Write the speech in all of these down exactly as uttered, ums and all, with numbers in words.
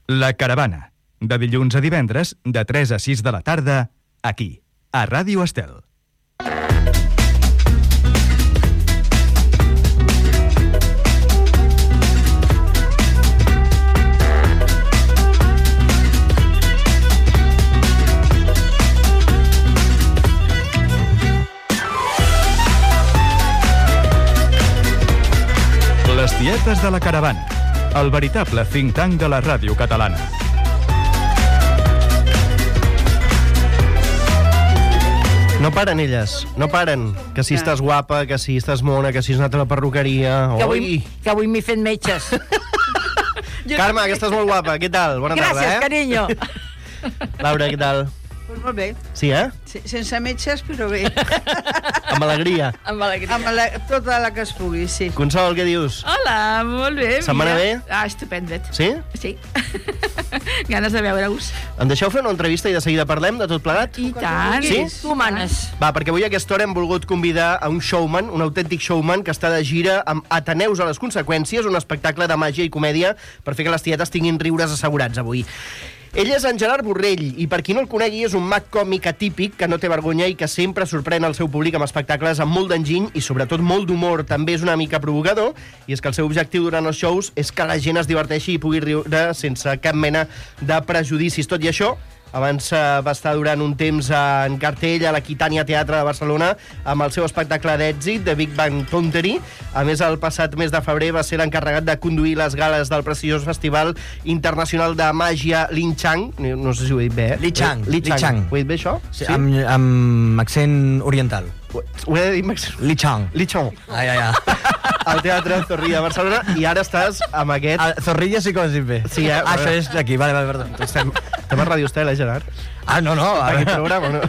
La Caravana, de dilluns a divendres, de tres a sis de la tarda, aquí, a Ràdio Estel. Les tietes de la Caravana, el veritable think tank de la ràdio catalana. No paren elles, no paren. Que si estàs guapa, que si estàs mona, que si has anat a la perruqueria... Que avui, que avui m'he fet metges. Carme, que estàs molt guapa, què tal? Bona tarda, eh? Gràcies, carinyo. Laura, què tal? Pues molt bé. Sí, eh? Sí, sense metges, però bé. Amb alegria. Amb alegria. Amb la, tota la que es pugui, sí. Consol, què dius? Hola, molt bé. Setmana bé? Ah, estupendet. Sí? Sí. Ganes de veure-us. Em deixeu fer una entrevista i de seguida parlem de tot plegat? I tant. Sí? Tu manes. Va, perquè avui a aquesta hora hem volgut convidar a un showman, un autèntic showman que està de gira amb Ateneus a les conseqüències, un espectacle de màgia i comèdia per fer que les tietes tinguin riures assegurats avui. Ell és en Gerard Borrell, i per qui no el conegui és un mag còmic atípic que no té vergonya i que sempre sorprèn el seu públic amb espectacles amb molt d'enginy i sobretot molt d'humor. També és una mica provocador, i és que el seu objectiu durant els shows és que la gent es diverteixi i pugui riure sense cap mena de prejudicis. Tot i això, abans eh, va estar durant un temps en cartell a l'Aquitània Teatre de Barcelona amb el seu espectacle d'èxit, The Big Bang Theory. A més, el passat mes de febrer va ser l'encarregat de conduir les gales del prestigiós Festival Internacional de Màgia Linchang. No, no sé si ho he dit bé, eh? Lichang. Lichang. Ho he dit bé, això? Sí, sí? Amb, amb accent oriental. Ho he dit amb accent... Lichang. Lichang. Ai, ai, ai. Al Teatre Zorrilla de Barcelona, i ara estàs amb aquest... A Zorrilla sí que ho has dit bé. Sí, eh? Ah, això és d'aquí, vale, vale, perdó. Estem, estem a Ràdio Estel, eh, Gerard? Ah, no, no. A Aquest programa, no?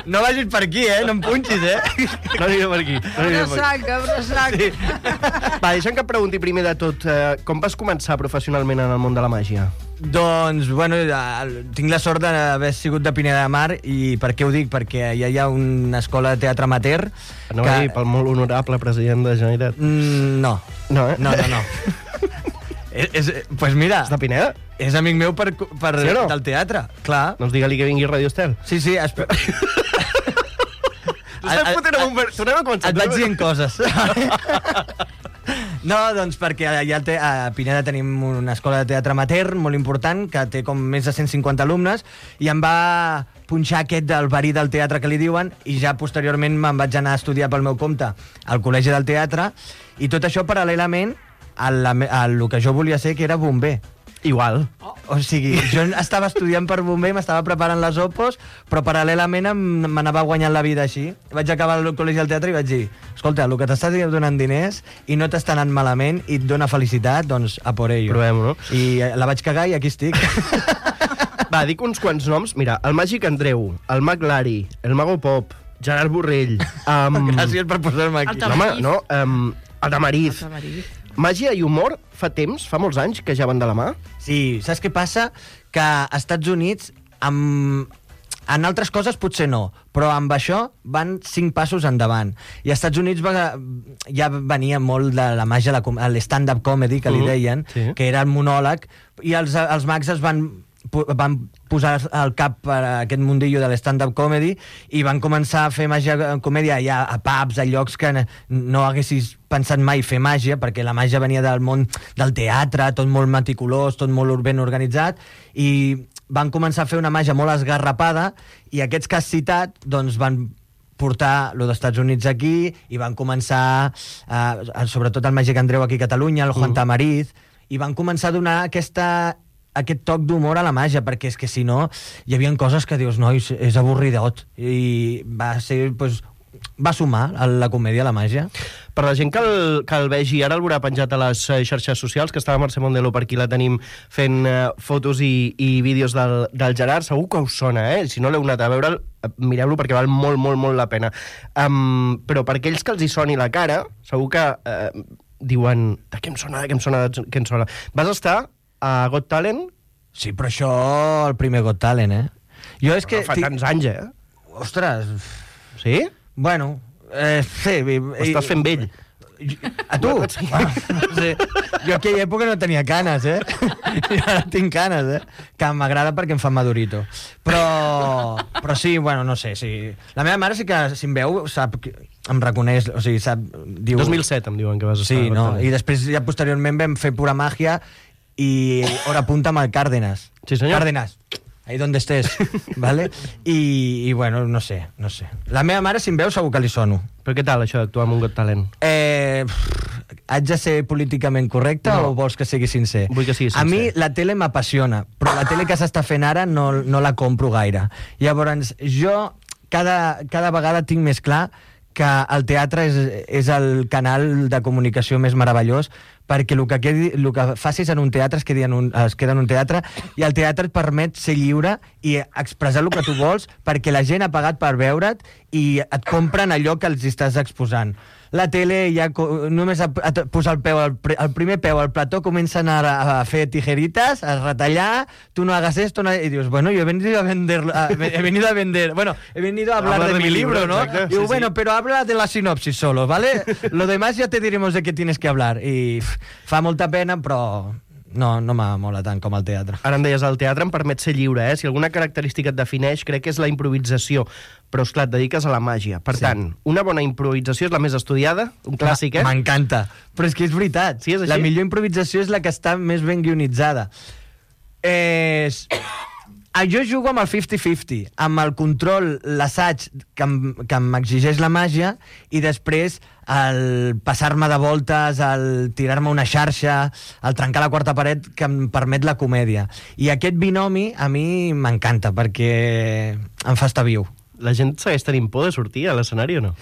No vagis per aquí, eh? No em punxis, eh? No aniré per aquí. No aniré per aquí. Sac, obre sac. Sí. Va, deixa'm que et pregunti primer de tot, eh, com vas començar professionalment en el món de la màgia? Doncs, bueno, tinc la sort d'haver sigut de Pineda de Mar. I per què ho dic? Perquè ja hi ha una escola de teatre amateur. No que... va dir pel molt honorable president de la Generalitat. Mm, no. No, eh? No, no, no. és, és, pues mira... És de Pineda? És amic meu per, per, sí no? del teatre, clar. Doncs digue-li que vingui a Ràdio Estel. Sí, sí. Espe... Estàs fotent amb un... Ver... Tornem a començar. Et vaig dient coses. No, doncs perquè allà a Pineda tenim una escola de teatre amateur molt important, que té com més de cent cinquanta alumnes, i em va punxar aquest del verí del teatre que li diuen, i ja posteriorment me'n vaig anar a estudiar pel meu compte al Col·legi del Teatre, i tot això paral·lelament a, la, a lo que jo volia ser, que era bomber. Igual. Oh. O sigui, jo estava estudiant per bomber, m'estava preparant les opos, però paral·lelament m'anava guanyant la vida així. Vaig acabar al Col·legi del Teatre i vaig dir: escolta, el que t'estàs donant diners i no t'està anant malament i et dona felicitat, doncs a por ello. Provem-ho, no? I la vaig cagar i aquí estic. Va, dic uns quants noms. Mira, el Màgic Andreu, el Mag Lari, el Mago Pop, Gerard Borrell... Um... Gràcies per posar-me aquí. No, home, no, um, el Tamariz. Màgia i humor fa temps, fa molts anys, que ja van de la mà? Sí, saps què passa? Que als Estats Units, amb... en altres coses potser no, però amb això van cinc passos endavant. I als Estats Units va... ja venia molt de la màgia, l'stand-up comedy, que li deien, uh -huh. sí. que era el monòleg, i els, els mags es van... van posar al cap per aquest mundillo de l'stand-up comedy i van començar a fer màgia comèdia ja a pubs, a llocs que no haguessis pensat mai fer màgia, perquè la màgia venia del món del teatre, tot molt meticulós, tot molt ben organitzat, i van començar a fer una màgia molt esgarrapada, i aquests que has citat doncs van portar lo dels Estats Units aquí, i van començar eh, sobretot el Màgic Andreu aquí a Catalunya, el Juan Tamariz, i van començar a donar aquesta aquest toc d'humor a la màgia, perquè és que si no hi havia coses que dius, no, és avorridot, i va ser, pues, va sumar a la comèdia a la màgia. Per la gent que el, que el vegi, ara el veurà penjat a les xarxes socials, que està la Mercè Mondelo per aquí, la tenim fent uh, fotos i, i vídeos del, del Gerard, segur que us sona, eh? Si no l'heu anat a veure, mireu-lo perquè val molt, molt, molt la pena. Um, però per aquells que els hi soni la cara, segur que uh, diuen, de què em sona, de què em sona, de què em sona. Vas estar a Got Talent? Sí, però això, el primer Got Talent, eh? Jo és que... Fa tants anys, eh? Ostres... Sí? Bueno, eh, sí... Ho estàs fent vell. A tu? Sí. No sé. Jo a aquella època no tenia canes, eh? I ara tinc canes, eh? Que m'agrada perquè em fa madurito. Però, però sí, bueno, no sé, sí. La meva mare sí que, si em veu, sap, que em reconeix, o sigui, sap... Diu... dos mil set em diuen que vas estar. Sí, no? I després, ja posteriorment, vam fer Pura Màgia i hora punta amb el Cárdenas. Sí, senyor. Cárdenas. Ahí donde estés, ¿vale? I, i bueno, no sé, no sé. La meva mare, si em veu, segur que li sono. Però què tal, això d'actuar amb un Got Talent? Eh, pff, haig de ser políticament correcte No. o vols que sigui sincer? Vull que sigui A mi sincer. la tele m'apassiona, però la tele que s'està fent ara no, no la compro gaire. Llavors, jo cada, cada vegada tinc més clar que el teatre és, és el canal de comunicació més meravellós, perquè el que, quedi, el que facis en un teatre es, quedi en un, es queda en un teatre, i el teatre et permet ser lliure i expressar el que tu vols, perquè la gent ha pagat per veure't i et compren allò que els estàs exposant. La tele ja només a, a posar el, peu, el, el primer peu al plató comencen a, a fer tijeritas, a retallar, tu no hagas esto, no, y dius, bueno, yo he venido a vender, a, he venido a vender, bueno, he venido a hablar, hablar de, de mi libro, libro, ¿no? Exacte, Diu, sí, bueno, sí. pero habla de la sinopsis solo, ¿vale? Lo demás ya te diremos de qué tienes que hablar. I pff, fa molta pena, però no, no m'amola tant com el teatre. Ara em deies, el teatre em permet ser lliure, eh? Si alguna característica et defineix, crec que és la improvisació. Però, esclar, et dediques a la màgia. Per Sí. tant, una bona improvisació és la més estudiada, un clàssic, eh? M'encanta. Però és que és veritat. Sí, és així? La millor improvisació és la que està més ben guionitzada. És... Jo jugo amb el cinquanta cinquanta, amb el control, l'assaig que em- que m'exigeix la màgia, i després el passar-me de voltes, el tirar-me una xarxa, el trencar la quarta paret que em permet la comèdia. I aquest binomi a mi m'encanta, perquè em fa estar viu. La gent segueix tenint por de sortir a l'escenari o no?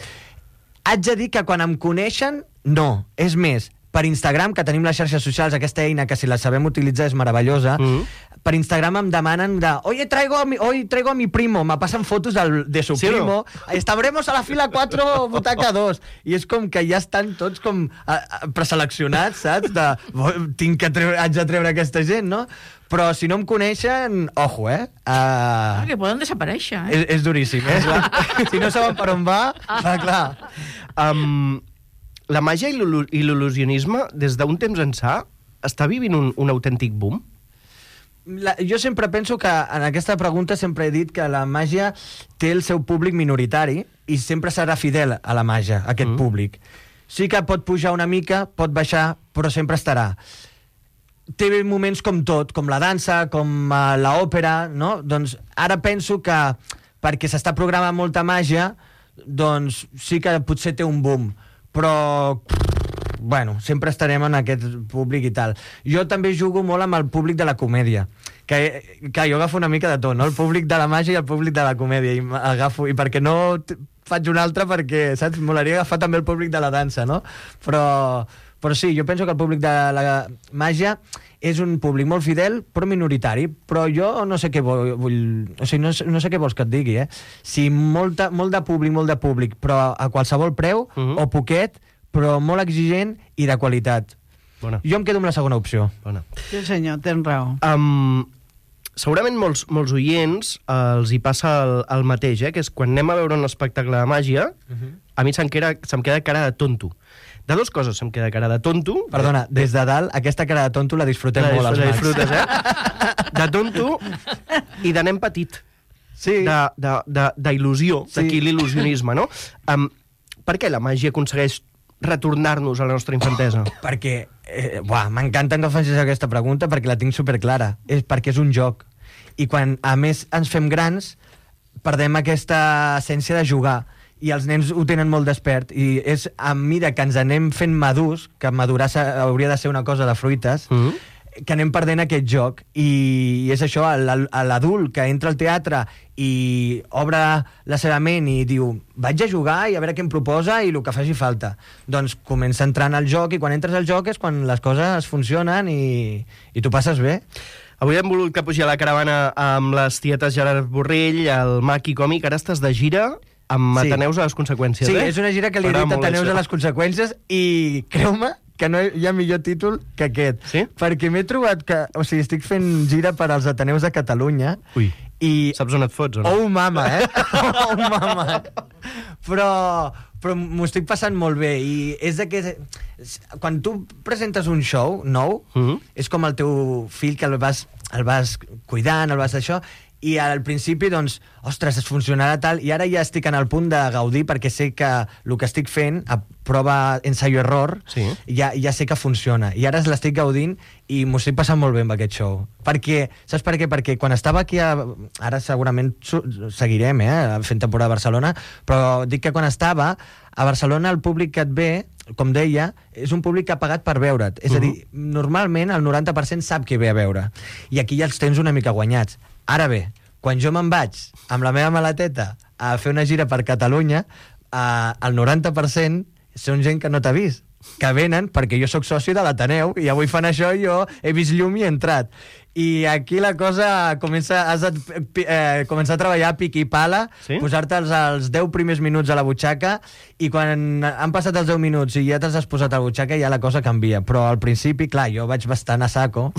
Haig de dir que quan em coneixen, no. És més, per Instagram, que tenim les xarxes socials, aquesta eina que si la sabem utilitzar és meravellosa, Mhm. per Instagram em demanen de oye, traigo a mi, hoy traigo a mi primo, me passen fotos del, de su Sí o no? primo, estaremos a la fila cuatro, butaca dos, i és com que ja estan tots com a, a, preseleccionats, saps? De, "Bo- tinc que treure, haig de treure aquesta gent, no? Però si no em coneixen, ojo, eh? Uh, Que poden desaparèixer, eh? és, és duríssim, eh? Si no saben per on va, va clar. Um, la màgia i l'il- i l'il·lusionisme, des d'un temps ençà, està vivint un, un autèntic boom? La, jo sempre penso que en aquesta pregunta sempre he dit que la màgia té el seu públic minoritari i sempre serà fidel a la màgia, a aquest Mm. mm. públic. Sí que pot pujar una mica, pot baixar, però sempre estarà. Té moments com tot, com la dansa, com uh, l'òpera, no? Doncs ara penso que perquè s'està programant molta màgia, doncs sí que potser té un boom, però bueno, sempre estarem en aquest públic i tal. Jo també jugo molt amb el públic de la comèdia, que, que jo agafo una mica de tot, no? El públic de la màgia i el públic de la comèdia, i agafo, i perquè no t- faig un altre, perquè, saps, molaria agafar també el públic de la dansa, no? Però, però sí, jo penso que el públic de la màgia és un públic molt fidel, però minoritari. Però jo no sé què vull... vull o sigui, no, sé- no sé què vols que et digui, eh? Si molta, molt de públic, molt de públic, però a qualsevol preu, Mhm. uh -huh. o poquet, però molt exigent i de qualitat. Bona, Jo em quedo amb la segona opció. bona. Sí, senyor, tens raó. Um, segurament molts, molts oients eh, els hi passa el, el mateix, eh? Que és quan anem a veure un espectacle de màgia, a mi se'm queda, se'm queda cara de tonto. De dues coses se'm queda cara de tonto. Perdona, des de dalt, aquesta cara de tonto la disfrutem la, molt als la mags. disfrutes, eh? De tonto i de nen petit. Sí. De- de- de- d'il·lusió, Sí. d'aquí l'il·lusionisme, no? Um, per què la màgia aconsegueix retornar-nos a la nostra infantesa? Perquè, eh, buah, m'encanta que facis aquesta pregunta perquè la tinc superclara. És perquè és un joc. I quan, a més, ens fem grans, perdem aquesta essència de jugar. I els nens ho tenen molt despert. I és a mesura que ens anem fent madurs, que madurar s'ha- hauria de ser una cosa de fruites, Mm. que anem perdent aquest joc. I és això, l'al- l'adult que entra al teatre i obre la seva ment i diu vaig a jugar i a veure què em proposa i el que faci falta. Doncs comença entrant al joc, i quan entres al joc és quan les coses funcionen i, i tu passes bé. Avui hem volgut que pugi a la caravana amb les tietes Gerard Borrell, el Maqui Còmic. Ara estàs de gira amb Sí. Ateneus a les conseqüències, Sí, eh? és una gira que li he M'agrada dit a molt Ateneus això. a les conseqüències, i creu-me que no hi ha millor títol que aquest. Sí? Perquè m'he trobat que... O sigui, estic fent gira per als Ateneus de Catalunya. Ui, I... saps on et fots o no? Oh, mama, eh? Oh, mama. Però, però m'ho estic passant molt bé. I és de que... Quan tu presentes un show nou, Mhm. és com el teu fill que el vas, el vas cuidant, el vas això, i al principi, doncs, ostres, es funcionarà tal, i ara ja estic en el punt de gaudir perquè sé que el que estic fent, a prova ensaio-error, Sí. ja, ja sé que funciona. I ara l'estic gaudint i m'ho estic passant molt bé amb aquest show. Perquè, saps per què? Perquè quan estava aquí, a, ara segurament su- seguirem eh, fent temporada a Barcelona, però dic que quan estava a Barcelona el públic que et ve, com deia, és un públic que ha pagat per veure't. És a dir, normalment el noranta per cent sap què ve a veure. I aquí ja els tens una mica guanyats. Ara bé, quan jo me'n vaig amb la meva maleteta a fer una gira per Catalunya, eh, el noranta per cent són gent que no t'ha vist, que venen perquè jo sóc soci de l'Ateneu i avui fan això i jo he vist llum i he entrat. I aquí la cosa comença, has de eh, començar a treballar a pic i pala, Sí? posar-te els, els deu primers minuts a la butxaca, i quan han passat els deu minuts i ja t'has posat a la butxaca ja la cosa canvia. Però al principi, clar, jo vaig bastant a saco,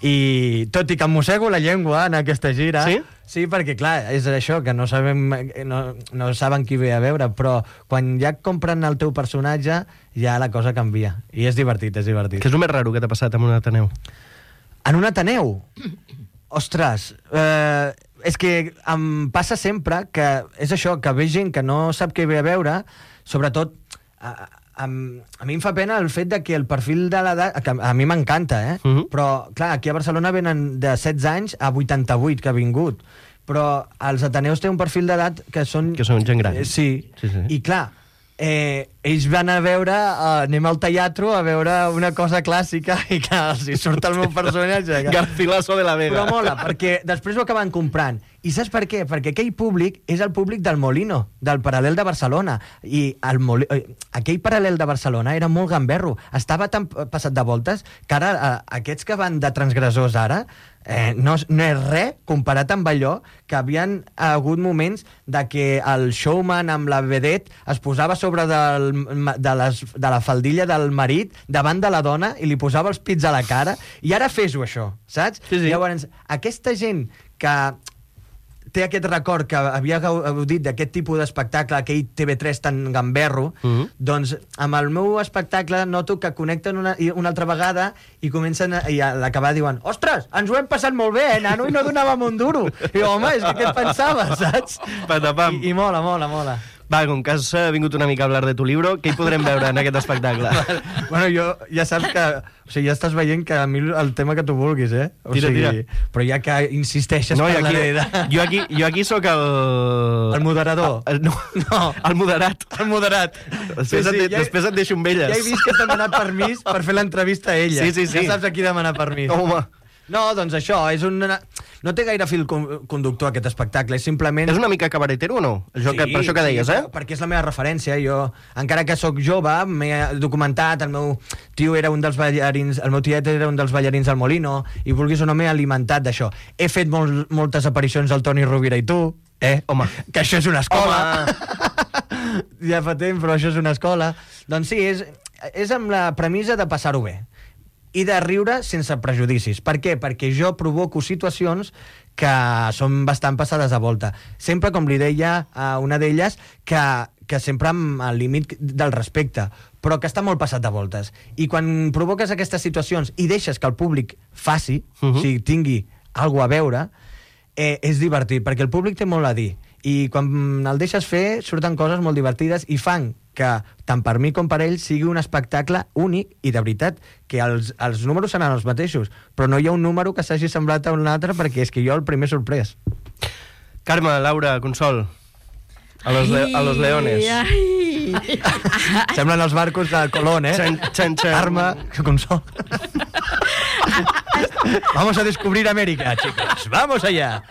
i tot i que em mossego la llengua en aquesta gira... Sí? Sí, perquè, clar, és això, que no sabem, no, no saben qui ve a veure, però quan ja compren el teu personatge, ja la cosa canvia. I és divertit, és divertit. Què és el més raro que t'ha passat amb un Ateneu? En un Ateneu? Ostres, eh, és que em passa sempre que és això, que ve gent que no sap què ve a veure, sobretot... A, a, a mi em fa pena el fet de que el perfil de l'edat... Que a mi m'encanta, eh? Mhm. Però, clar, aquí a Barcelona venen de setze anys a vuitanta-vuit que ha vingut. Però els Ateneus tenen un perfil d'edat que són... Que són gent gran. Eh, sí. Sí, sí. I, clar, eh, ells van a veure... Eh, anem al teatre a veure una cosa clàssica i, clar, els hi surt el meu personatge. Que... Garcilaso de la Vega. Però mola, perquè després ho acaben comprant. I saps per què? Perquè aquell públic és el públic del Molino, del Paral·lel de Barcelona. I el Moli... aquell Paral·lel de Barcelona era molt gamberro. Estava tan passat de voltes que ara eh, aquests que van de transgressors ara eh, no, no és res comparat amb allò que havien hagut moments de que el showman amb la vedette es posava sobre del, de, les, de la faldilla del marit davant de la dona i li posava els pits a la cara. I ara fes-ho, això, saps? Sí, sí. Llavors, aquesta gent que té aquest record que havia gaudit d'aquest tipus d'espectacle, aquell T V tres tan gamberro, Mhm. doncs amb el meu espectacle noto que connecten una, i una altra vegada i comencen a, i a l'acabar diuen ostres, ens ho hem passat molt bé, eh, nano, i no donàvem un duro. I jo, home, és que què et pensaves, saps? Patapam. I, I mola, mola, mola. Va, com que has eh, vingut una mica a hablar de tu libro, què hi podrem veure en aquest espectacle? Bueno, jo ja saps que... O sigui, ja estàs veient que a mi el tema que tu vulguis, eh? O Tira, sigui, tira. Però ja que insisteixes, No, jo parlaré aquí, de... jo aquí, jo aquí sóc el... El moderador. El, no, No. el moderat. El moderat. Després, et, de, ja, després et deixo amb elles. ja he vist que t'ha demanat permís per fer l'entrevista a ella. Sí, sí, sí. Ja saps a qui demanar permís. Home, No, doncs això, és una... no té gaire fil con- conductor aquest espectacle, és simplement... és una mica cabaretero o no? Això que, per això que deies, eh? Sí, perquè és la meva referència. Jo, encara que sóc jove, m'he documentat, el meu tio era un dels ballarins, el meu tiet era un dels ballarins del Molino, i vulguis o no m'he alimentat d'això. He fet mol, moltes aparicions al Toni Rovira i tu, eh? Home. Que això és una escola. Home. Ja fa temps, però això és una escola. Doncs sí, és, és amb la premissa de passar-ho bé i de riure sense prejudicis. Per què? Perquè jo provoco situacions que són bastant passades de volta. Sempre, com li deia a una d'elles, que, que sempre amb el límit del respecte, però que està molt passat de voltes. I quan provoques aquestes situacions i deixes que el públic faci, Uh-huh. o sigui, tingui alguna a veure, eh, és divertit, perquè el públic té molt a dir. I quan el deixes fer, surten coses molt divertides i fan que, tant per mi com per ell, sigui un espectacle únic i de veritat, que els, els números seran els mateixos, però no hi ha un número que s'hagi semblat a un altre perquè és que jo el primer sorprès. Carme, Laura, Consol, a los, le a los leones. Ai, Semblen els barcos de Colón, eh? Xan, xan, xan. Arma, consol. Vamos a descobrir América, chicos. Vamos allá.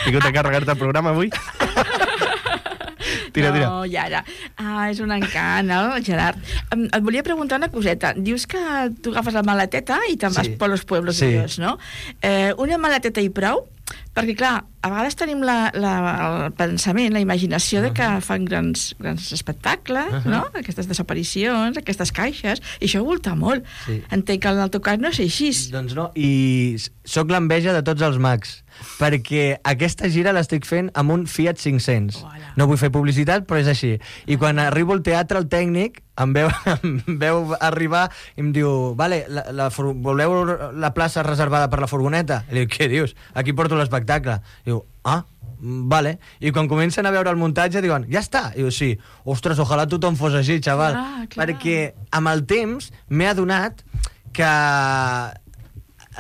Tingut a carregar-te el programa avui? Tira, tira. No, i ara. Ah, és un encant, no, Gerard? Em, et volia preguntar una coseta. Dius que tu agafes la maleteta i te'n vas Sí. per los pueblos Sí. de Dios, no? Eh, una maleteta i prou Perquè, clar, a vegades tenim la, la, el pensament, la imaginació de que fan grans, grans espectacles, uh -huh. no? Aquestes desaparicions, aquestes caixes, i això volta molt. Sí. Entenc que en el teu cas no és així. Doncs no, i sóc l'enveja de tots els mags, perquè aquesta gira l'estic fent amb un Fiat cinc-cents. Hola. No vull fer publicitat, però és així. I quan arribo al teatre, el tècnic em veu, em veu arribar i em diu, vale, la, la, voleu la plaça reservada per la furgoneta? I dic, què dius? Aquí porto l'espectacle. I diu, ah, vale. I quan comencen a veure el muntatge diuen, ja està. I diu, sí. Ostres, ojalà tothom fos així, xaval. Ah, perquè amb el temps m'he adonat que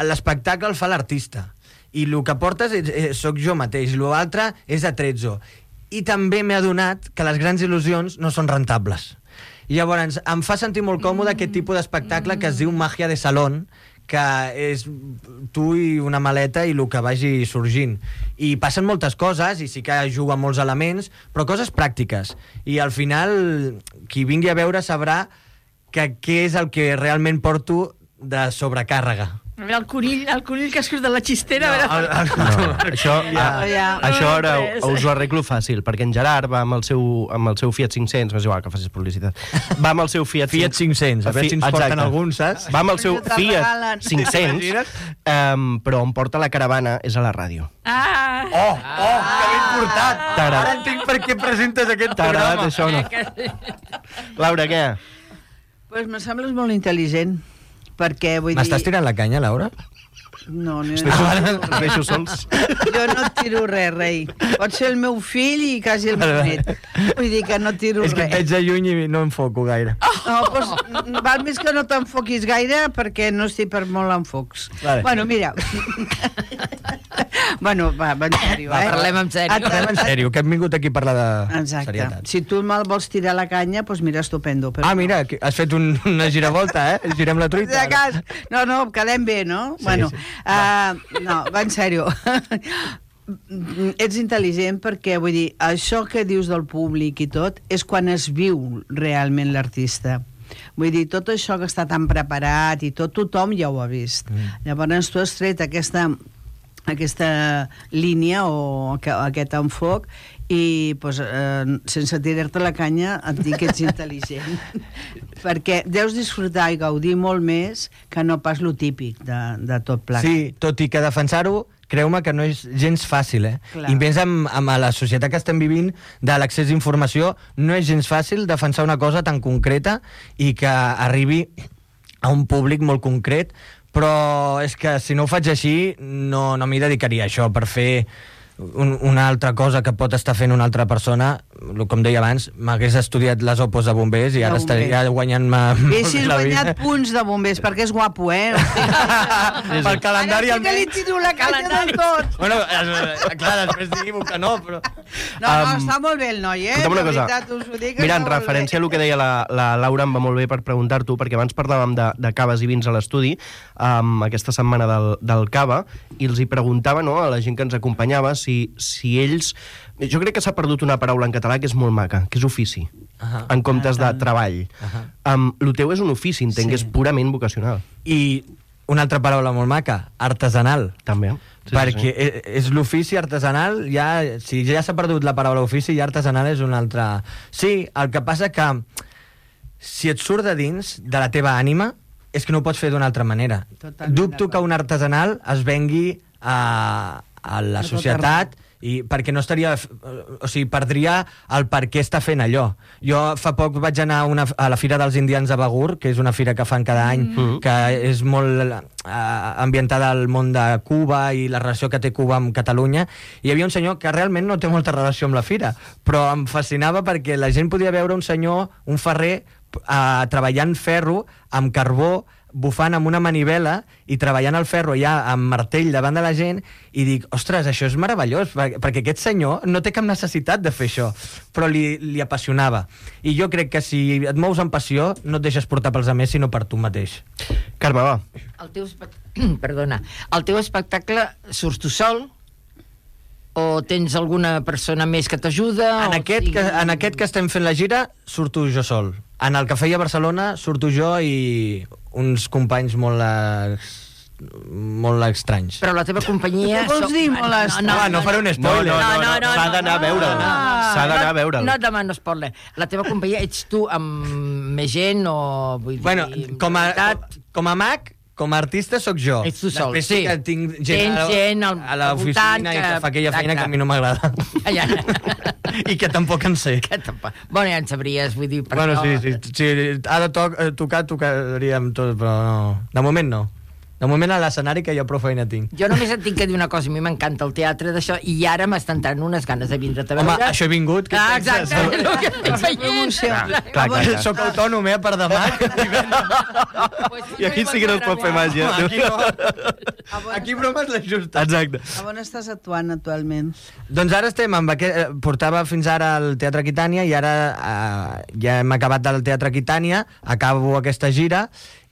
l'espectacle el fa l'artista. I el que portes és, és, soc jo mateix. L'altre és atrezzo. I també m'he adonat que les grans il·lusions no són rentables. I llavors em fa sentir molt còmode aquest tipus d'espectacle que es diu Màgia de Salón, que és tu i una maleta i el que vagi sorgint. I passen moltes coses, i sí que juga amb molts elements, però coses pràctiques. I al final, qui vingui a veure sabrà que què és el que realment porto de sobrecàrrega. A veure, el conill, el conill que surt de la xistera... No, a veure... el, el, no, això, ja, ja. això ara no, us ho arreglo fàcil, perquè en Gerard va amb el seu, amb el seu Fiat cinc-cents, m'és igual que facis publicitat, va amb el seu Fiat, Fiat cinc-cents, a veure si ens porten alguns, saps? Va amb el seu Fiat cinc-cents, um, però on porta la caravana és a la ràdio. Ah! Oh, oh, que ben portat! Ara entenc per què presentes aquest programa. Això o no? Laura, què? Pues me sembles molt intel·ligent. Perquè, vull dir... M'estàs tirant la canya, Laura? No, no... Els deixo, els deixo sols. Jo no tiro res, rei. Pot ser el meu fill i quasi el meu net. Vull dir que no tiro res. És que et veig de lluny i no enfoco gaire. No, doncs val més que no t'enfoquis gaire perquè no estic per molt enfocs. Vale. Bueno, mira... Bueno, va, va en sèrio, va, eh? Parlem en sèrio. Et, parlem en sèrio, que hem vingut aquí a parlar de Exacte. serietat. Si tu me'l vols tirar la canya, doncs mira, estupendo. Però ah, mira, has fet un, una giravolta, eh? Girem la truita. De cas. No, no, quedem bé, no? Sí, bueno, sí. Uh, no, va en sèrio. Ets intel·ligent perquè, vull dir, això que dius del públic i tot és quan es viu realment l'artista. Vull dir, tot això que està tan preparat i tot, tothom ja ho ha vist. Mm. Llavors tu has tret aquesta... aquesta línia o aquest enfoc i pues, eh, sense tirar-te la canya et dic que ets intel·ligent perquè deus disfrutar i gaudir molt més que no pas lo típic de, de tot plegat. Sí, tot i que defensar-ho creu-me que no és gens fàcil, eh? Clar. I més amb, amb la societat que estem vivint de l'accés d'informació, no és gens fàcil defensar una cosa tan concreta i que arribi a un públic molt concret, però és que si no ho faig així no, no m'hi dedicaria a això per fer un, una altra cosa que pot estar fent una altra persona. Com deia abans, m'hagués estudiat les opos de bombers i ara estaria guanyant-me Haguessis guanyat punts de bombers perquè és guapo, eh? Pel calendari ara sí que li tiro la canya del tot. Bueno, clar, després digui que no, però... No, no, um, està molt bé el noi, eh? Una cosa. Veritat, us ho dic, mira, en referència a el que deia la, la Laura, em va molt bé per preguntar-t'ho, perquè abans parlàvem de, de caves i vins a l'estudi, um, aquesta setmana del, del cava, i els hi preguntava, no, a la gent que ens acompanyava, si, si ells... Jo crec que s'ha perdut una paraula en català que és molt maca, que és ofici, uh -huh. en comptes de treball. Uh -huh. um, el teu és un ofici, entenc, sí. És purament vocacional. I una altra paraula molt maca, artesanal. També. Sí, perquè sí, sí. és l'ofici artesanal, ja, si ja s'ha perdut la paraula ofici, ja artesanal és un altre... Sí, el que passa que si et surt de dins de la teva ànima, és que no ho pots fer d'una altra manera. Totalment Dubto que un artesanal es vengui a, a la societat i perquè no estaria... O sigui, perdria el per què està fent allò. Jo fa poc vaig anar a, una, a la Fira dels Indians de Begur, que és una fira que fan cada any, mm. que és molt eh, ambientada al món de Cuba i la relació que té Cuba amb Catalunya. I hi havia un senyor que realment no té molta relació amb la fira, però em fascinava perquè la gent podia veure un senyor, un ferrer, eh, treballant ferro amb carbó, bufant amb una manivela i treballant el ferro ja amb martell davant de la gent, i dic, ostres, això és meravellós, perquè aquest senyor no té cap necessitat de fer això, però li, li apassionava. I jo crec que si et mous amb passió, no et deixes portar pels altres, sinó per tu mateix. Carme, va. El teu, espect... Perdona. El teu espectacle surts tu sol? O tens alguna persona més que t'ajuda? En, aquest sigui... que, en aquest que estem fent la gira, surto jo sol. En el que feia a Barcelona, surto jo i uns companys molt molt estranys. Però la teva companyia... Què vols dir, molt No, no, no, no faré un No, spoiler. no, no, No, no, no, no, s'ha no, d'anar a no, veure'l. no. S'ha d'anar a veure'l. No et demano spoiler. La teva companyia ets tu amb més gent o... Vull dir, Bueno, com a, veritat, com a mag, com a artista sóc jo. Ets tu sol, Després sí. que tinc gent, Tens a, gent al- a al l'oficina voltant i que que- fa aquella feina exacte. que a mi no m'agrada. Ja. I que tampoc en sé. Que tampoc- Bueno, ja en sabries, vull dir... Per Bueno, això- sí, sí, sí, ha de toc, eh, tocar, tocaríem tot, però no. De moment no. De moment a l'escenari que jo prou feina tinc. Jo només et tinc que dir una cosa, a mi m'encanta el teatre d'això, i ara m'estan entrant unes ganes de vindre't a veure. Home, això he vingut. Què Ah, penses? exacte, és el que estic veient. Clar, clar, clar. Soc autònom, eh, per demà. I aquí sí que no es pot fer màgia. Aquí no. Aquí bromes la justa. Exacte. A on estàs actuant actualment? Doncs ara estem amb aquest... Portava fins ara al Teatre Aquitània i ara eh, ja hem acabat del Teatre Aquitània, acabo aquesta gira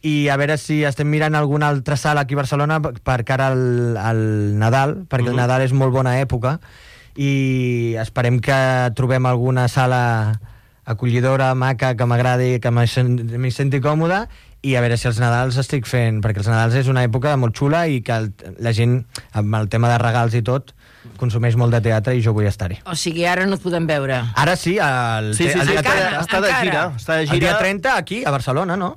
i a veure si estem mirant alguna altra sala aquí a Barcelona per cara al, al Nadal, perquè mm-hmm. el Nadal és molt bona època i esperem que trobem alguna sala acollidora, maca, que m'agradi, que m'hi senti còmoda i a veure si els Nadals estic fent, perquè els Nadals és una època molt xula i que el, la gent, amb el tema de regals i tot, consumeix molt de teatre i jo vull estar-hi. O sigui, ara no et podem veure. Ara sí, el, Sí, sí, el sí, dia està, trenta. està de encara. gira. Està de El dia gira. trenta aquí, a Barcelona, no?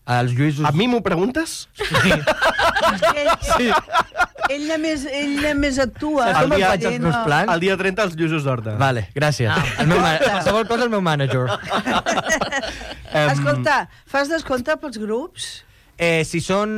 Els Lluïsos... A mi m'ho preguntes? Ell, sí. ell, només, ell només actua. Saps com El em dia- faig els meus plans? El dia trenta els Lluços d'Horta. Vale, gràcies. Ah. El meu ma- qualsevol cosa el meu mànager. Em, Escolta, fas descompte pels grups? Eh, si són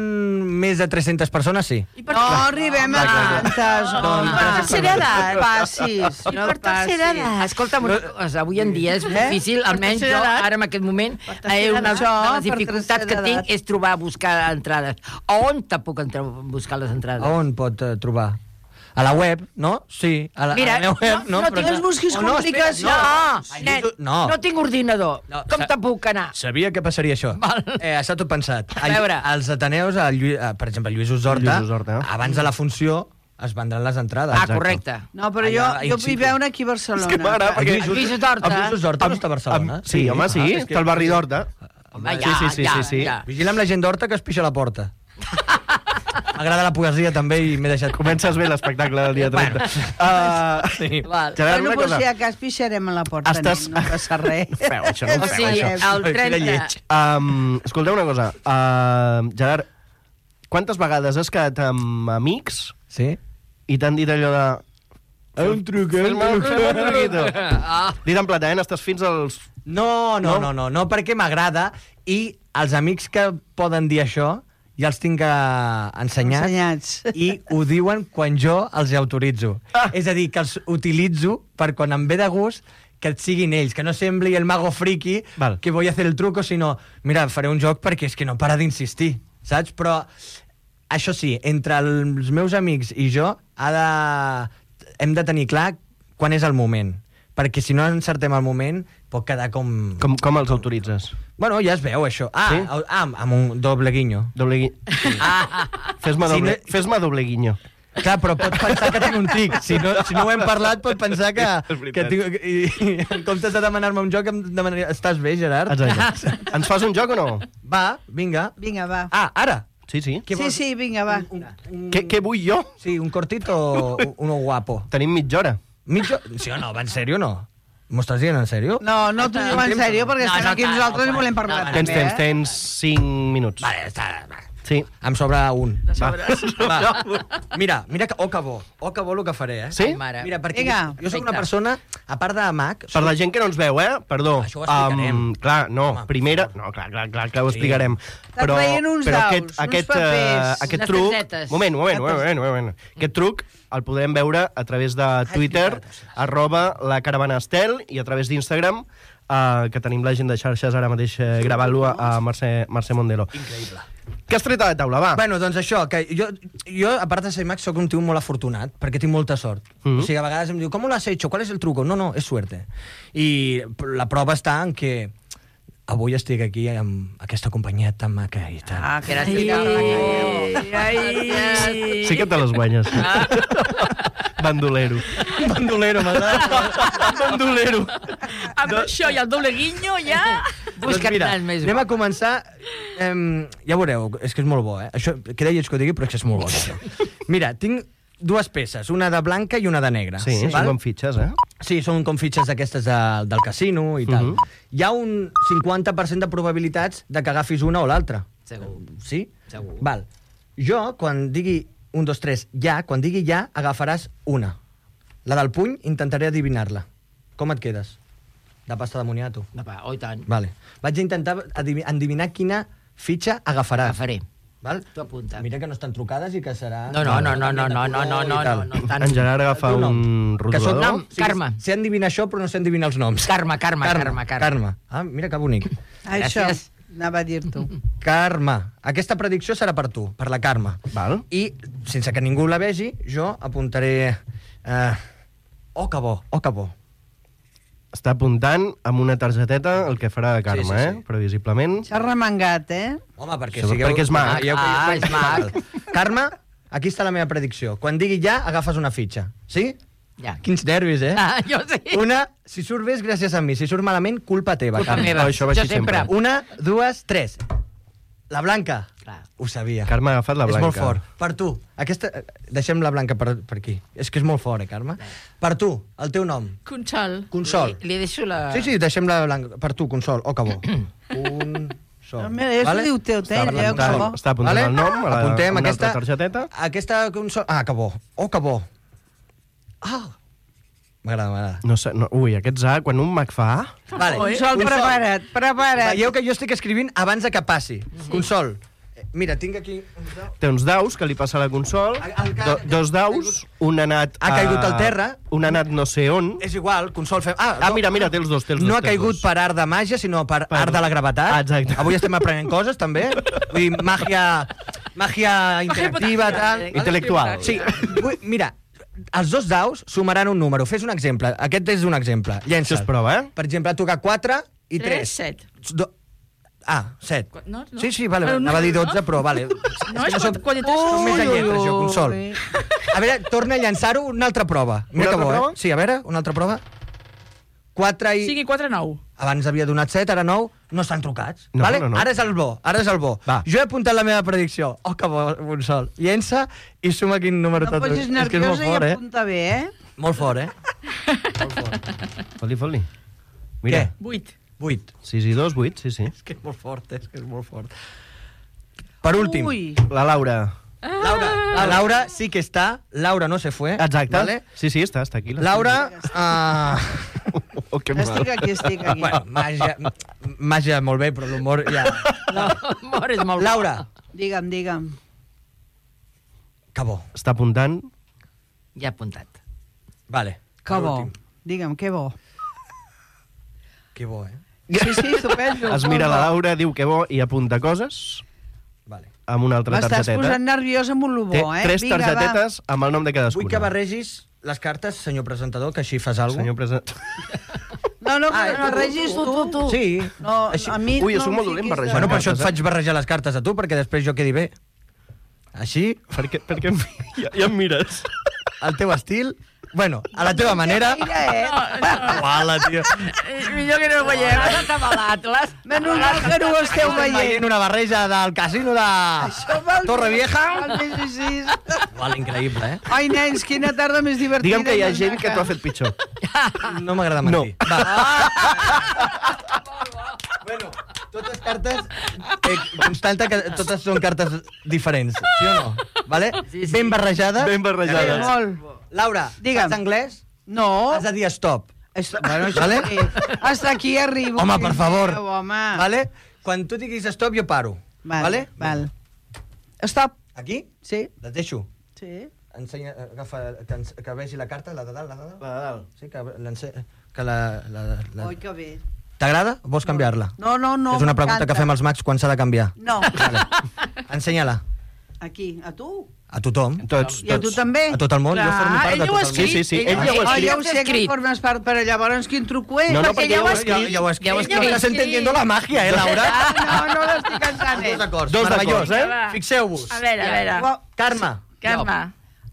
més de tres-centes persones, sí. No arribem a tantes. Doncs, home. tercera edat. Passis. I per tercera edat. Escolta'm una cosa, avui en dia és difícil, almenys jo, tercera edat. ara en aquest moment, Per tercera eh, una edat. de Per les dificultats tercera que tinc edat. és trobar, buscar entrades. A on te puc entrar, buscar les entrades? A on pot eh, trobar? A la web, no? Sí, a la, Mira, a la meva web, no- no? no però- tinc- busquis Oh, no, espera, complicacions. No, Ai, nen, no. no. no tinc ordinador. No, Com sa- te puc anar? Sabia que passaria això. Val. Eh, està tot pensat. A veure. Els Ateneus, el Lluís, eh, per exemple, Lluís Horta, Lluís Horta. abans de la funció es vendran les entrades. Ah, correcte. No, però jo, Allà, jo in vull situ. veure aquí a Barcelona. És que m'agrada, perquè- El Lluís Horta. El Lluís Horta no està a Barcelona? Am- sí, home, sí, Ah, és que- està al barri d'Horta. Home, Sí, ja, sí, sí, ja, sí, sí. ja. Vigila amb la gent d'Horta que es pixa a la porta. M'agrada la poesia també i m'he deixat... Comences bé l'espectacle del dia trenta. Uh, Sí. Val. Gerard, Bueno, una pues cosa. si a cas pixarem a la porta, Estàs- nen, no passa res. Feu, això no O ho feu, sigui, això. el trenta... lleig. Um, escolteu una cosa. Uh, Gerard, quantes vegades has quedat amb amics Sí? i t'han dit allò de... Un truc, Fes-me un fes-me un truquito. Ah, Dit en plata, eh? Estàs fins als... No, no, No? no, no, no, perquè m'agrada i els amics que poden dir això ja els tinc eh, ensenyats Ensenyats. i ho diuen quan jo els autoritzo. Ah. És a dir, que els utilitzo per quan em ve de gust que et siguin ells, que no sembli el mago friki Val. que voy a hacer el truco, sinó, mira, faré un joc perquè és que no para d'insistir, saps? Però això sí, entre els meus amics i jo ha de... hem de tenir clar quan és el moment, perquè si no encertem el moment pot quedar com... Com, com els autoritzes? Bueno, ja es veu, això. Ah, Sí? sí? ah amb un doble guinyo. Doble gui... Fes-me Si doble, no- fes-me doble guinyo. Clar, però pot pensar que tinc un tic. Si no, si no ho hem parlat, pot pensar que... És veritat. que tinc, i, i, en comptes de demanar-me un joc, em demanaria... Estàs bé, Gerard? Exacte. Ens fas un joc o no? Va, vinga. Vinga, va. Ah, ara. Sí, sí. Què Sí, vols? sí, vinga, va. Què, què vull jo? Sí, un cortit o uno guapo? Tenim mitja hora. Mitjo... Sí o no? Va en sèrio o no? M'ho estàs dient en sèrio? No, no t'ho diu en sèrio, perquè No, estem no, aquí no, nosaltres no, i volem no, parlar. no, Tens també, temps, eh? tens cinc minuts. Vale, està... va. Sí. Em sobra un. Va. Va. Mira, mira que... Oh, que bo. Oh, que bo el que faré, eh? Sí? Mare. Mira, perquè Vinga, jo sóc una perfecte. persona, a part de mag... Per la gent que no ens veu, eh? Perdó. Això ho explicarem. Um, clar, no, Home, primera... per No, clar, clar, clar que ho Sí. explicarem. Està traient uns però daus, aquest, uns aquest, papers. eh, aquest Unes truc... targetes. Moment, moment, moment, moment, moment. Aquest truc el podrem veure a través de Twitter, arroba la caravana Estel, i a través d'Instagram, eh, que tenim la gent de xarxes ara mateix eh, gravant-lo a Mercè, Mercè Mondelo. Increïble. Què has tret a la taula, va? Bueno, doncs això, que jo, jo a part de ser mag, sóc un tio molt afortunat, perquè tinc molta sort. Mhm. O sigui, a vegades em diu, ¿cómo lo has hecho? ¿Cuál es el truco? No, no, és suerte. I la prova està en que avui estic aquí amb aquesta companyia tan maca i tan... Ah, Gràcies. Ai, ai. Sí que te les guanyes. Bandolero. bandolero, m'agrada. Bandolero. Amb això i el doble guinyo ja... Doncs Busca't mira, res més. anem a començar Eh, ja veureu, és que és molt bo, eh? Això, queda lleig que ho digui, però és que és molt bo. Això. Mira, tinc dues peces, una de blanca i una de negra. Sí, val? són com fitxes, eh? Sí, són com fitxes d'aquestes de, del casino i tal. Uh -huh. Hi ha un cinquanta per cent de probabilitats de que agafis una o l'altra. Segur. Sí? Segur. Val. Jo, quan digui un, dos, tres, ja, quan digui ja, agafaràs una. La del puny, intentaré adivinar-la. Com et quedes? De pasta de moniato. Va, oh, i tant. Vale. Vaig a intentar adivi- endevinar quina fitxa agafaràs. Agafaré. Val? Tu apunta. Mira que no estan trucades i que serà... No, no, no, no, no, no, no, no, no, no, no, tant. En Gerard agafa El teu nom. un Que soc rotulador. nom. Carme. Sé endevinar això, però no sé endevinar els noms. Carme, Carme, Carme, Carme. Carme. Ah, mira que bonic. Això, Gràcies. anava a dir-t'ho. Carme. Aquesta predicció serà per tu, per la Carme. Val. I, sense que ningú la vegi, jo apuntaré... Eh... Oh, que bo, oh, que bo. Està apuntant amb una targeteta el que farà de Carme, Sí, sí, sí. eh? Previsiblement. S'ha remengat, eh? Home, perquè Això sigueu... perquè és mag. Veieu que jo Ah, soc és mag. val. Carme, aquí està la meva predicció. Quan digui ja, agafes una fitxa. Sí? Ja. Quins nervis, eh? Ah, jo sí. Una, si surt bé és gràcies a mi. Si surt malament, culpa teva, Culpa Carme. meva. Oh, això va Jo així sempre. sempre. Una, dues, tres. La blanca. Clar. Ho sabia. Carme ha agafat la És blanca. molt fort. Per tu. Aquesta... Deixem la blanca per, per aquí. És que és molt fort, eh, Carme? Per tu, el teu nom. Consol. Consol. Li, li deixo la... Sí, sí, deixem la blanca. Per tu, Consol. Oh, que bo. Consol. No, mira, això diu teu, Està eh? Ja, apuntant, que bo. està apuntant el nom a la, Apuntem a una aquesta, altra targeteta. Aquesta Consol... Ah, que bo. Oh, que bo. Ah. M'agrada, m'agrada. No sé, no, ui, aquests A, quan un mag fa A... Vale. Consol, prepara't, prepara't. Veieu que jo estic escrivint abans de que passi. Consol. Eh, Mira, tinc aquí... té uns daus que li passa a la consol, El- el que- do, dos daus, un ha anat... Ha caigut al terra. Un ha anat no sé on. És igual, Consol fem... Ah, Ah, mira, mira, té els dos, té els dos. no ha té els caigut dos. per art de màgia, sinó per, Per- art de la gravetat. Ah, exacte. Avui estem aprenent coses, també. Vull dir, màgia, màgia interactiva, tal. Intel·lectual. Sí, vull, mira, els dos daus sumaran un número. Fes un exemple. Aquest és un exemple. Això Llença'l. es prova, eh? Per exemple, ha tocat quatre i Tres, tres. set. Do... Ah, set. Qu- no, no. Sí, sí, vale, Però no, anava a dir no. dotze, però vale. No, és que quan- quan hi tens- Soc més de Ui, lletres, jo, ui, Consol. ui. A veure, torna a llançar-ho una altra prova. Mira Una que altra bo, prova? eh? Sí, a veure, una altra prova. quatre i... Cinc i quatre, nou. Abans havia donat set, ara nou, no estan trucats. No, vale? no, no. Ara és el bo, ara és el bo. Va. Jo he apuntat la meva predicció. Oh, que bo, Consol. Llença i suma quin número No t'ha posis trucat. És que és molt nerviosa i fort, eh? apunta bé, eh? Molt fort, eh? Molt fort. Fot-li, fot-li. Mira, Què? Vuit. Vuit. sis i dos, vuit, sí, sí. És que és molt fort, eh? És que és molt fort. Per últim, Ui. La Laura. Laura. La Laura sí que està. Laura no se fue. Exacte. Vale? Sí, sí, està, està aquí. Laura... Uh... Oh, que mal. Estic aquí, estic aquí. bueno, màgia, màgia molt bé, però l'humor ja... No, l'humor és molt... Laura. Digue'm, digue'm. Que bo. Està apuntant. Ja he apuntat. Vale. Que per bo. últim. Digue'm, que bo. Que bo, eh? Sí, sí, estupendo. Es mira la Laura, diu que bo i apunta coses Vale. amb una altra M'estàs targeteta. posant nerviós amb un lo Té bo, eh? tres Vinga, targetetes amb el nom de cadascuna. Vull que barregis les cartes, senyor presentador, que així fas alguna Senyor present... Va. No, no, Ah, que no regis tu. tu, Sí. No, Així... a mi Ui, jo no soc em molt dolent fiquis barrejant. Bueno, de- per això et cartes, eh? faig barrejar les cartes a tu, perquè després jo quedi bé. Així, Per què, per què em... ja, ja em mires? al teu estil... Bueno, a la teva manera... Mira, eh? Uala, tio. Eh, millor que no ho veiem. Has atabalat, l'has... Menys mal que no ho esteu Estem veient. veient una barreja del casino de Torre Vieja. El més així. Uala, increïble, eh? Ai, nens, quina tarda més divertida. Digue'm que hi ha més gent que maca. t'ho ha fet pitjor. No m'agrada No. mentir. Va. Bueno, totes cartes... Eh, constanta que totes són cartes diferents, sí o no? Vale? Sí, sí. Ben barrejades. Ben barrejades. Sí, molt. Laura, Digue'm. saps anglès? No. Has de dir stop. Esto, bueno, això Vale? sí. Hasta aquí arribo. Home, per favor. Déu, home. Vale? Quan tu diguis stop, jo paro. Val, Vale? val. Stop. Aquí? Sí, Les deixo. sí. Ensenya, agafa, que, ens- que vegi la carta, la de dalt, la de dalt. La de dalt. Sí, que, l'ence- que la... la, la... Oi, que bé. T'agrada o vols canviar-la? No, no, no. És una pregunta m'encanta. que fem als mags quan s'ha de canviar. No. Vale. Ensenya-la. Aquí, a tu. A tothom. Tots, I a tu tots. també? A tot el món. Jo Clar, formo part ell de ho tot ha el món. escrit. Sí, sí, sí, ell Ell ja ho ha Oh, escrit. ja ho sé que escrit. formes part, però llavors quin truco és? No, no, Perquè perquè ja ho ja has ho- escrit. Ja ho he escrit. Ja ho he escrit. Estàs entendiendo la magia, eh, Laura? Ah, no, no l'estic entenent. Dos acords. Dos Meravellós, d'acords, eh? Va. Fixeu-vos. A veure, a veure. Ho- Carme, Carme.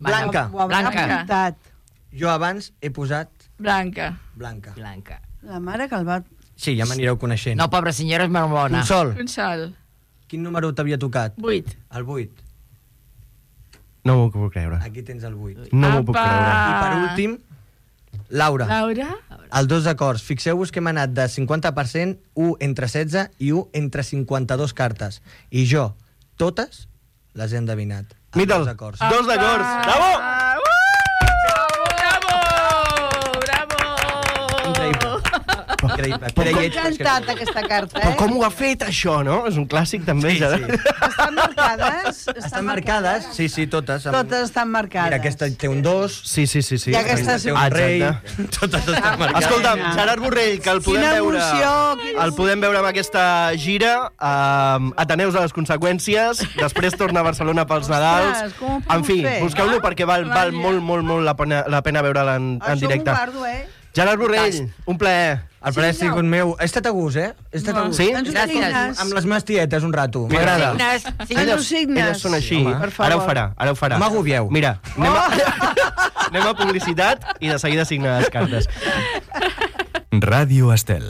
Blanca. Ho haurà Blanca. apuntat. Jo abans he posat Blanca. Blanca. Blanca. La mare que el va... Sí, ja m'anireu coneixent. No, pobra senyora, és molt bona. Consol, Consol. Quin número t'havia tocat? Vuit. El vuit. No m'ho puc creure. Aquí tens el vuit. No m'ho puc Apa! creure. I per últim, Laura. Laura? Els dos acords. Fixeu-vos que hem anat de cinquanta per cent, un entre setze i un entre cinquanta-dos cartes. I jo, totes, les he endevinat. Els Mira'l, dos acords. dos d'acords. Bravo! Bravo! Bravo! Increïble. Increïble. Com Creia- t'ha encantat aquesta carta, Però eh? com ho ha fet, això, no? És un clàssic, també. Sí, ja. sí. Estan marcades? Estan marcades? Sí, sí, totes. Amb- Totes estan marcades. Mira, aquesta té un dos. Sí, sí, sí. sí. I aquesta té un rei. Exacte. Totes estan marcades. Escolta'm, Gerard Borrell, que el podem Quina veure... emoció, quina El podem veure amb aquesta gira. Um, Ateneus a les conseqüències. Després torna a Barcelona pels Nadals. Ostres, com ho podem En fi, fer? busqueu-lo perquè val, val Vaja. molt, molt, molt la pena, la pena veure'l en, en Això directe. m'ho guardo, eh? Gerard Borrell, un plaer. El plaer ha sigut meu. He estat a gust, eh? He estat a gust. Sí? Ens ho Gràcies. signes. Amb les meves tietes, un rato. M'agrada. Signes, Ens signes. ho signes. Elles són així. Sí, home. Per favor. Ara ho farà, ara ho farà. No m'agobieu. Mira, anem a, anem a publicitat i de seguida signa les cartes. Ràdio Estel.